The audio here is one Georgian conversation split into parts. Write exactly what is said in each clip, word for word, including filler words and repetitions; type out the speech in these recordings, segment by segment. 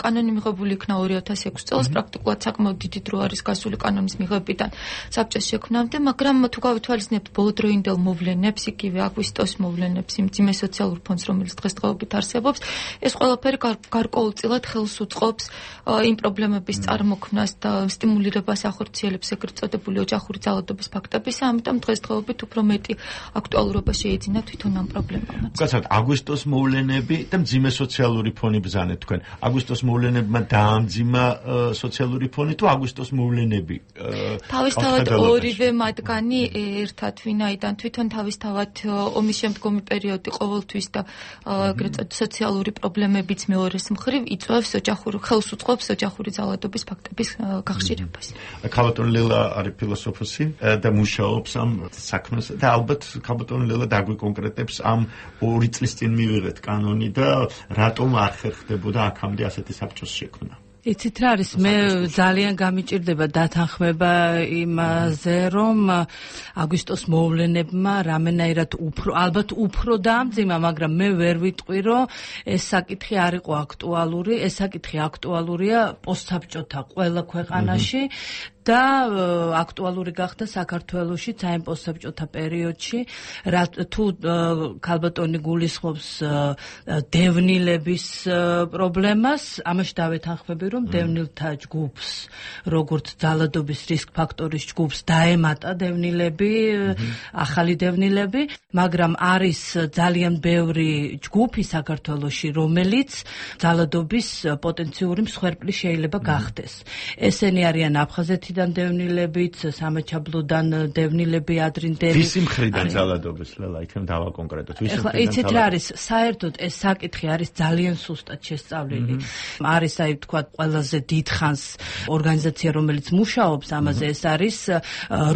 კანონი მიღებული იქნა ორი ათას ექვსი წელს, პრაქტიკულად საკმაოდ დიდი დრო არის გასული კანონის მიღებიდან საბჭოს შექმნამდე, მაგრამ თუ გავითვალისწინებთ ბოლოდროინდელ მოვლენებს, იგივე აგვისტოს მოვლენებს, იმ ძიმე სოციალურ ფონდს, რომელიც დღესდღეობით არსებობს, ეს ყველაფერი გარკვეულწილად ხელს უწყობს იმ პრობლემების წარმოქმნას და სტიმულირებას ახორციელებს ეგრეთ წოდებული ოჯახური ძალადობის ფაქტებისა, ამიტომ დღესდღეობით უფრო მეტი აქტუალურობა შეიძინა თვითონ ამ პრობლემამ. გასაგებად, აგვისტოს მოვლენები და მძიმე სოციალური ფონი ბრძანეთ თქვენ. აგვისტოს მოვლენებმა დაამძიმა სოციალური ფონი თუ აგვისტოს მოვლენები? თავისთავად ორივე მათგანი ერთად, ვინაიდან თვითონ თავისთავად ომის შემდგომი პერიოდი ყოველთვის და ეგრეთ წოდებული სოციალური პრობლემებიც მეორეს მხრივ იწვევს ოჯახური ხელს უწყობს ოჯახური ძალადობის ფაქტების გახშირებას. ქალბატონი ლელა არის ფილოსოფოსი და მუშაობს ამ საქმეს და ალბათ ქალბატონი ლელა დაგვიკონკრეტებს ამ ორი წლის წინ მივიღეთ კანონი და რატომ არ ხერხდებოდა აქამდე ასეთი საბჭოს შექმნა. იცით რა არის, მე ძალიან გამიჭირდება დათანხმება იმაზე, რომ აგვისტოს მოვლენებმა რამენაირად უფრო, ალბათ უფრო დაამძიმა, მაგრამ მე ვერ ვიტყვი, რომ ეს საკითხი არ იყო აქტუალური, ეს საკითხი აქტუალურია პოსტსაბჭოთა ყველა ქვეყანაში და აქტუალური გახდა საქართველოში საერთო პოსტსაბჭოთა პერიოდში, თუ ქალბატონი გულისხმობს დევნილების პრობლემას, ამაში დავეთანხმები, რომ დევნილთა ჯგუფს, როგორც ძალადობის რისკ ფაქტორის ჯგუფს დაემატა დევნილები, ახალი დევნილები, მაგრამ არის ძალიან ბევრი ჯგუფი საქართველოში, რომელიც ძალადობის პოტენციური მსხვერპლი შეიძლება გახდეს. ესენი არიან აფხაზეთი დევნილებიც, სამაჩაბლოდან დევნილები ადრინდელი. ვისი მხრიდან ძალადობის, ლელა, იქნებ დავაკონკრეტოთ. ვისი მხრიდან? იცით რა არის, საერთოდ ეს საკითხი არის ძალიან სუსტად შესწავლილი. არის აი თქვა ყველაზე დიდხანს ორგანიზაცია, რომელიც მუშაობს ამაზე, ეს არის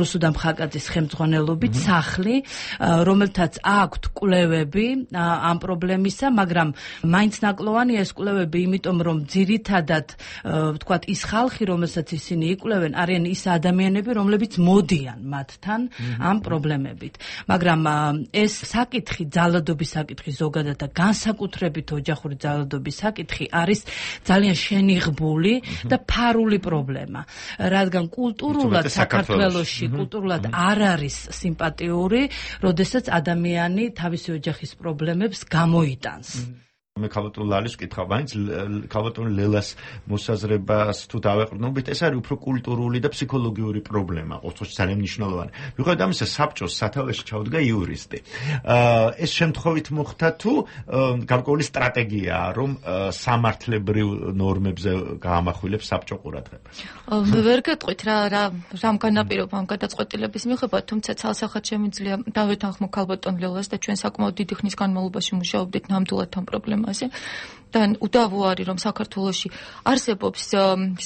რუსუდ ამხაკაძის ხელმძღვანელობით სახლი, რომელთაც აქვთ კვლევები ამ პრობლემისა, მაგრამ მაინც ნაკლოვანია ეს კვლევები, იმიტომ რომ ძირითადად თქვა ის ხალხი, რომელსაც ისინი იკვლევენ, არიან ის ადამიანები, რომლებიც მოდიან მათთან ამ პრობლემებით. მაგრამ ეს საკითხი, ძალადობის საკითხი ზოგადად და განსაკუთრებით ოჯახური ძალადობის საკითხი არის ძალიან შენიღბული და ფარული პრობლემა. რადგან კულტურულად საქართველოში კულტურულად არ არის სიმპათიური, როდესაც ადამიანი თავისი ოჯახის პრობლემებს გამოიტანს. მე ქალბატონ ლალის ვკითხავ, მაინც ქალბატონ ლელას მოსაზრებას თუ დავეყრდნობით, ეს არის უფრო კულტურული და ფსიქოლოგიური პრობლემა, ყოველთვის ძალიან მნიშვნელოვანი. მიუხედავად ამისა, საბჭოს სათავეში ჩაუდგა იურისტი. ეს შემთხვევით მოხდა თუ გარკვეული სტრატეგიაა, რომ სამართლებრივ ნორმებზე გაამახვილებს საბჭო ყურადღებას? ვერ გეტყვით რა რამ განაპირობა ამ გადაწყვეტილების მიუხედავად, თუმცა ცალსახად შემიძლია დავეთანხმო ქალბატონ ლელას და ჩვენ საკმაოდ დიდი ხნის განმავლობაში მუშაობდით ნამდვილად ამ პრობლემაზე. და უდავო არის, რომ საქართველოში არსებობს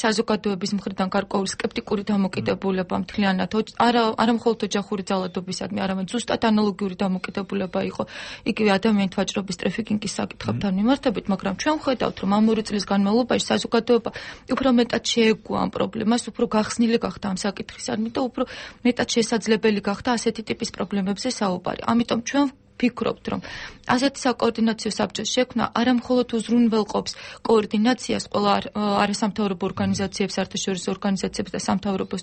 საზოგადოების მხრიდან გარკვეული სკეპტიკური დამოკიდებულება მთლიანად არა მხოლოდ ოჯახური ძალადობისადმი, არამედ ზუსტად ანალოგიური დამოკიდებულება იყო იგივე ადამიანთა ვაჭრობის ტრაფიკინგის საკითხებთან მიმართებით, მაგრამ ჩვენ ვხედავთ, რომ ამ ორი წლის განმავლობაში საზოგადოება უფრო მეტად შეეგუა ამ პრობლემას, უფრო გახსნილი გახდა ამ საკითხისადმი და უფრო მეტად შესაძლებელი გახდა ასეთი ტიპის პრობლემებზე საუბარი. ამიტომ ჩვენ ვფიქრობთ, რომ ასეთი საკოორდინაციო საბჭოს შექმნა არა მხოლოდ უზრუნველყოფს კოორდინაციას ყველა არასამთავრობო ორგანიზაციებს, საერთაშორისო ორგანიზაციებს და სამთავრობო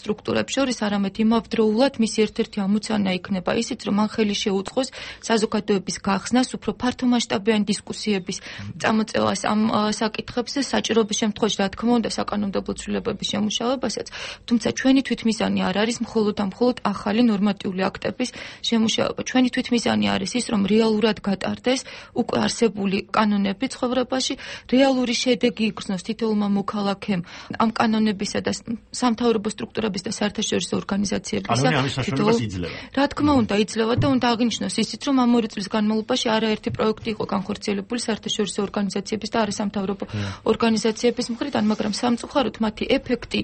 სტრუქტურებს შორის, არამედ იმავდროულად მისი ერთ-ერთი ამოცანა იქნება ისიც, რომ მან ხელი შეუწყოს საზოგადოების გახსნას, უფრო ფართომასშტაბიანი დისკუსიების წამოწევას ამ საკითხებზე, საჭიროების შემთხვევაში, რა თქმა უნდა, საკანონმდებლო ცვლილებების შემუშავებასაც, თუმცა ჩვენი თვითმიზანი არ არის მხოლოდ და მხოლოდ ახალი ნორმატიული აქტების შემუშავება. ჩვენი თვითმიზანი არის ის, რომ რეალურად გატარდეს უკვე არსებული კანონები ცხოვრებაში, რეალური შედეგი იგრძნოს თითოეულმა მოქალაქემ ამ კანონებისა და სამთავრობო სტრუქტურების და საერთაშორისო ორგანიზაციებისა. კანონი ამის საშუალებას იძლევა. რა თქმა უნდა, იძლევა და უნდა აღინიშნოს ისიც, რომ ამ ორი წლის განმავლობაში არაერთი პროექტი იყო განხორციელებული საერთაშორისო ორგანიზაციების და არასამთავრობო ორგანიზაციების მხრიდან, მაგრამ სამწუხაროდ მათი ეფექტი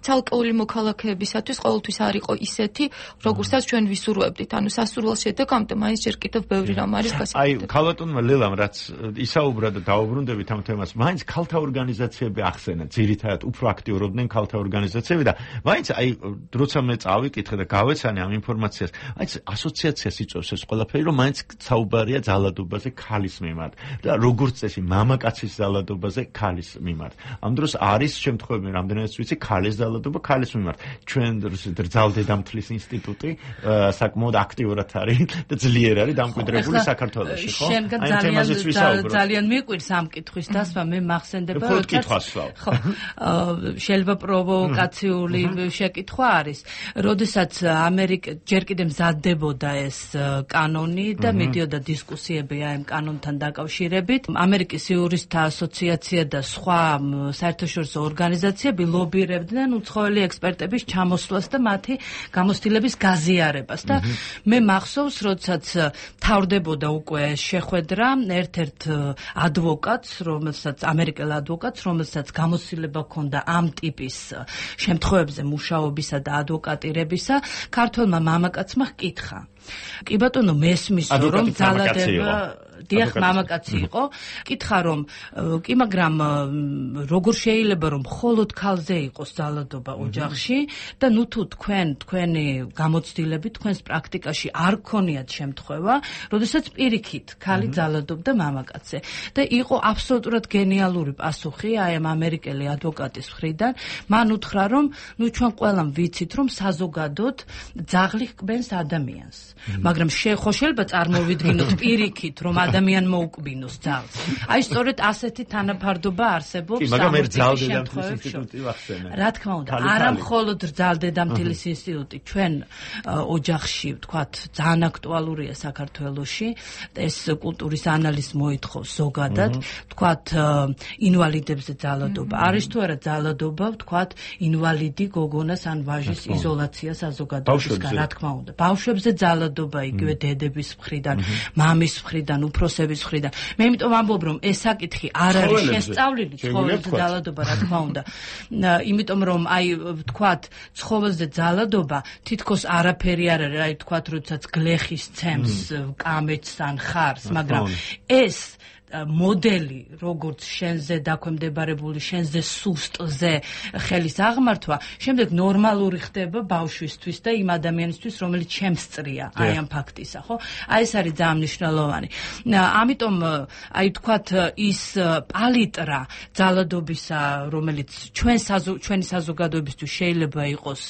ცალკეული მოქალაქეებისათვის ყოველთვის არ იყო ისეთი, როგორცაც ჩვენ ვისურვებდით. ანუ სასურველ შედეგამდე მაინც ჯერ კიდევ ბევრი რამ არის გასაკეთებელი. აი, ქალბატონმა ლელამ რაც ისაუბრა და დაუბრუნდებით ამ თემას, მაინც ქალთა ორგანიზაციები ახსენა, ძირითადად უფრო აქტიურობდნენ ქალთა ორგანიზაციები და მაინც აი, როცა მე წავიკითხე და გავეცანი ამ ინფორმაციას, აი, ასოციაციას იწვევს ეს ყველაფერი, რომ მაინც საუბარია ძალადობაზე ქალის მიმართ და როგორც წესი მამაკაცის ძალადობაზე ქალის მიმართ. ამ დროს არის შემთხვევები, რამდენადაც ვიცი, ქალის ძალადობა ქალის მიმართ. ჩვენ რძალდედამთლის ინსტიტუტი საკმაოდ აქტიურად არის და ძლიერ არის დამკვიდრებული საქართველოში, ხო? აი ძალიან ძალიან მიყვირს ამ კითხვის დასმა, მე მახსენდება, როდესაც ხო, შეიძლება პროვოკაციული შეკითხვა არის, როდესაც ამერიკა ჯერ კიდევ მზადდებოდა ეს კანონი და მიდიოდა დისკუსიები ამ კანონთან დაკავშირებით, ამერიკის იურისტთა ასოციაცია და სხვა საერთაშორისო ორგანიზაციები ლობირებდნენ უცხოელი ექსპერტების ჩამოსვლას და მათი გამოცდილების გაზიარებას და მე მახსოვს, როდესაც თავდებოდა უკვე ეს შეხვედრა, ერთ-ერთ ადვოკატს, რომელსაც ამერიკელ ადვოკატს, რომელსაც გამოცდილება ჰქონდა ამ ტიპის შემთხვევებზე მუშაობისა და ადვოკატირებისა, ქართველმა მამაკაცმა ჰკითხა. კი ბატონო, მესმის რომ ძალადება დიახ, მამაკაცი იყო, კითხა რომ კი, მაგრამ როგორ შეიძლება რომ მხოლოდ ქალზე იყოს ძალადობა ოჯახში და ნუ თუ თქვენ თქვენი გამოცდილები თქვენს პრაქტიკაში არ გქონიათ შემთხვევა, როდესაც პირიქით ქალი ძალადობდა მამაკაცზე და იყო აბსოლუტურად გენიალური პასუხი აი ამ ამერიკელი ადვოკატის მხრიდან, მან უთხრა რომ ნუ ჩვენ ყველამ ვიცით რომ საზოგადოდ ძაღლი ჰკბენს ადამიანს, მაგრამ ხო შეიძლება წარმოვიდგინოთ პირიქით რომ ადამიანმა უკბინოს ძალს. აი სწორედ ასეთი თანაფარდობა არსებობს სამართლის ინსტიტუტი ვახსენე. რა თქმა უნდა, არა მხოლოდ რძალდედამთილის ინსტიტუტი, ჩვენ ოჯახში, ვთქვათ, ძალიან აქტუალურია საქართველოში, ეს კულტურის ანალიზს მოითხოვს ზოგადად, ვთქვათ, ინვალიდებზე ძალადობა. არის თუ არა ძალადობა, ვთქვათ, ინვალიდი გოგონას ან ვაჟის იზოლაცია საზოგადოებისგან, რა თქმა უნდა. ბავშვებზე ძალადობა იგივე დედების მხრიდან, მამის მხრიდან, უფროსების მხრიდან. მე იმიტომ ამბობ, რომ ეს საკითხი არ არის შესწავლილი ცხოველზე ძალადობა, რა თქმა უნდა. იმიტომ რომ აი ვთქვათ, ცხოველზე ძალადობა თითქოს არაფერი არ არის, აი ვთქვათ, როდესაც გლეხის ცემს, კამეჩს ან ხარს, მაგრამ ეს მოდელი, როგორც შენზე დაქვემდებარებული, შენზე სუსტზე ხელის აღმართვა, შემდეგ ნორმალური ხდება ბავშვისთვის და იმ ადამიანისთვის, რომელიც შემსწრია აი ამ ფაქტისა, ხო? აი ეს არის ძალიან მნიშვნელოვანი. ამიტომ აი ვთქვათ, ის პალიტრა ძალადობისა, რომელიც ჩვენ ჩვენი საზოგადოებისთვის შეიძლება იყოს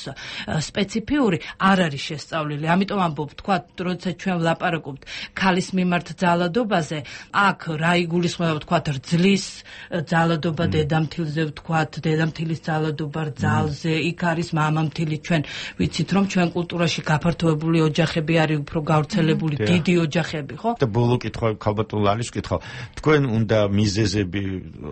სპეციფიური, არ არის შესწავლილი. ამიტომ ამბობ, ვთქვათ, როდესაც ჩვენ ვლაპარაკობთ ქალის მიმართ ძალადობაზე, აქ რა იგულისხმება, ვთქვათ, რძლის ძალადობა დედამთილზე, ვთქვათ, დედამთილის ძალადობა რძალზე, იქ არის მამამთილი. ჩვენ ვიცით, რომ ჩვენ კულტურაში გაფართოებული ოჯახები არის უფრო გავრცელებული, დიდი ოჯახები, ხო? და ბოლო კითხვა ქალბატონ ლალის ვკითხავ. თქვენ უნდა მიზეზები,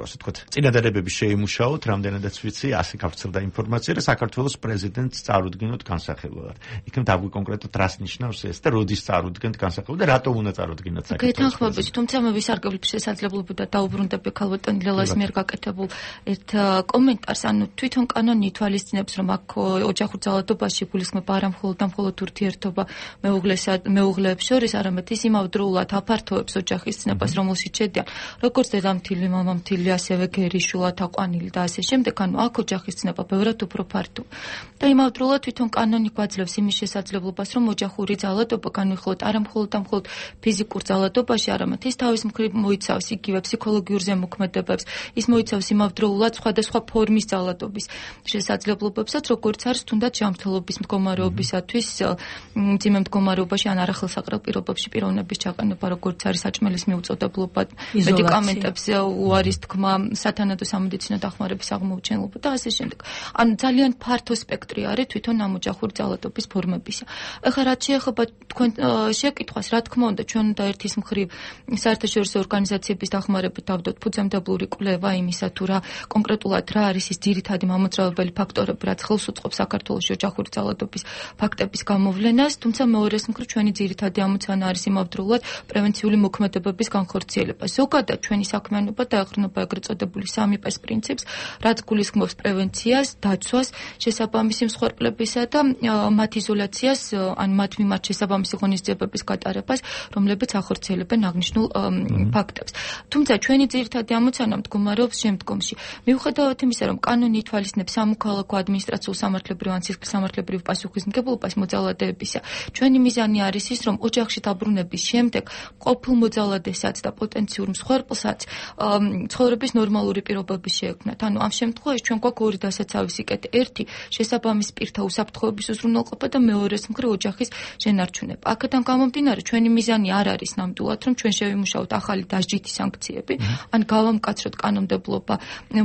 ასე ვთქვათ, წინადადებები შეიმუშაოთ, რამდენადაც ვიცი, ასე გავრცელდა ინფორმაცია და საქართველოს პრეზიდენტს წარუდგინოთ განსახილველად. იქნებ დაგვი კონკრეტულად რას ნიშნავს ეს და როდის წარუდგენთ განსახილველად და რატო უნდა წარუდგინოთ საქართველოს? გეთანხმებით, თუმცა მე ვისარგებლებ შესაძლებლობა და დაუბრუნდები ქალბატონ ლელას მიერ გაკეთებულ ერთ კომენტარს, ანუ თვითონ კანონი ითვალისწინებს, რომ აქ ოჯახურ ძალადობაში გულისხმება არა მხოლოდ და მხოლოდ ურთიერთობა მეუღლესა მეუღლეებს შორის, არამედ ის იმავდროულად აფართოებს ოჯახის ცნებას, რომელშიც შედიან როგორც დედამთილი, მამამთილი, ასევე გერიშვილა, თაყვანილი და ასე შემდეგ, ანუ აქ ოჯახის ცნება ბევრად უფრო ფართოა. და იმავდროულად თვითონ კანონი გვაძლევს იმის შესაძლებლობას, რომ ოჯახური ძალადობა განვიხილოთ არა მხოლოდ და მხოლოდ ფიზიკურ ძალადობაში, არამედ ის თავის მხრივ მოიცავს იგივე ფსიქოლოგიურ ზემოქმედებებს, ის მოიცავს იმავდროულად სხვადასხვა ფორმის ძალადობის შესაძლებლობებსაც, როგორც არის თუნდაც ჯანმრთელობის მდგომარეობისათვის, მძიმე მდგომარეობაში ან არახელსაყრელ პირობებში პიროვნების ჩაყენება, როგორც არის საჭმელის მიუწოდებლობა, მედიკამენტებს უარის თქმა, სათანადო სამედიცინო დახმარების აღმოუჩენობა და ასე შემდეგ. ანუ ძალიან ფართო სპექტრი არის თვითონ ამ ოჯახური ძალადობის ფორმებისა. ეხლა რაც შეეხება თქვენ შეკითხვას, რა თქმა უნდა, ჩვენ უნდა ერთის მხრივ საერთაშორისო ორგანიზაციების ორგანიზაციების დახმარებით დავდოთ ფუძემდებლური კვლევა იმისა თუ რა კონკრეტულად რა არის ის ძირითადი მამოძრავებელი ფაქტორები, რაც ხელს უწყობს საქართველოში ოჯახური ძალადობის ფაქტების გამოვლენას, თუმცა მეორეს მხრივ ჩვენი ძირითადი ამოცანა არის იმავდროულად პრევენციული მოქმედებების განხორციელება. ზოგადად ჩვენი საქმიანობა დაეყრდნობა ეგრეთ წოდებული სამი პეს პრინციპს, რაც გულისხმობს პრევენციას, დაცვას, შესაბამისი მსხვერპლებისა და მათ იზოლაციას, ან მათ მიმართ შესაბამისი ღონისძიებების გატარებას, რომლებიც ახორციელებენ აღნიშნულ ფაქტებს. თუმცა ჩვენი ძირითადი ამოცანა მდგომარეობს შემდგომში. მიუხედავად იმისა, რომ კანონი ითვალისწინებს სამოქალაქო ადმინისტრაციულ სამართლებრივ ან სისხლსამართლებრივ პასუხისმგებლობას მოძალადეებისა, ჩვენი მიზანი არის ის, რომ ოჯახში დაბრუნების შემდეგ ყოფილ მოძალადესაც და პოტენციურ მსხვერპლსაც ცხოვრების ნორმალური პირობები შეექმნათ. ანუ ამ შემთხვევაში ჩვენ გვაქვს ორი დასაცავისი კეტი. ერთი შესაბამის პირთა უსაფრთხოების უზრუნველყოფა და მეორეს მხრივ ოჯახის შენარჩუნება. აქედან გამომდინარე ჩვენი მიზანი არ არის ნამდვილად, რომ ჩვენ შევიმუშაოთ ახალი დასჯითი სანქციები, ან გავამკაცროთ კანონმდებლობა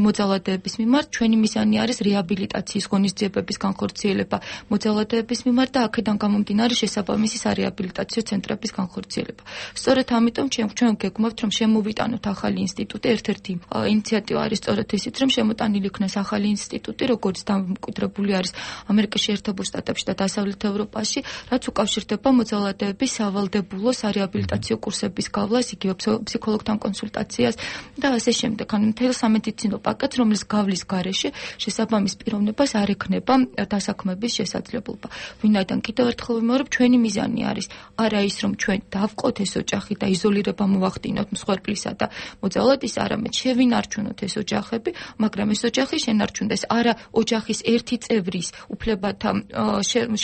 მოძალადეების მიმართ. ჩვენი მიზანი არის რეაბილიტაციის ღონისძიებების განხორციელება მოძალადეების მიმართ და აქედან გამომდინარე შესაბამისიარეაბილიტაციო ცენტრების განხორციელება. სწორედ ამიტომ ჩვენ გეგმავთ, რომ შემოვიტანოთ ახალი ინსტიტუტი. ერთ-ერთი ინიციატივა არის სწორედ ისიც, რომ შემოტანილი იქნას ახალი ინსტიტუტი, როგორც დამკვიდრებული არის ამერიკაში, ერთებულ შტატებში და დასავლეთ ევროპაში, რაც უკავშირდება მოძალადეების სავალდებულოარეაბილიტაციო კურსების გავლას, იგივე ფსიქოლოგთან კონსულტაციას და ასე შემდეგ. ანუ მთელ სამედიცინო პაკეტს, რომლის გავლის გარეშე შესაბამის პიროვნებას არ ექნება დასაქმების შესაძლებლობა. ვინაიდან კიდევ ერთხელ ვიმეორებ, ჩვენი მიზანი არის არა ის, რომ ჩვენ დავყოთ ეს ოჯახი და იზოლირება მოვახდინოთ მსხვერპლისა და მოძალადის, არამედ შევინარჩუნოთ ეს ოჯახები, მაგრამ ეს ოჯახი შენარჩუნდეს არა ოჯახის ერთი წევრის უფლებათა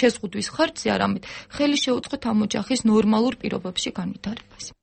შეზღუდვის ხარჯზე, არამედ ხელი შეუწყოთ ამ ოჯახის ნორმალურ პირობებში განვითარებას.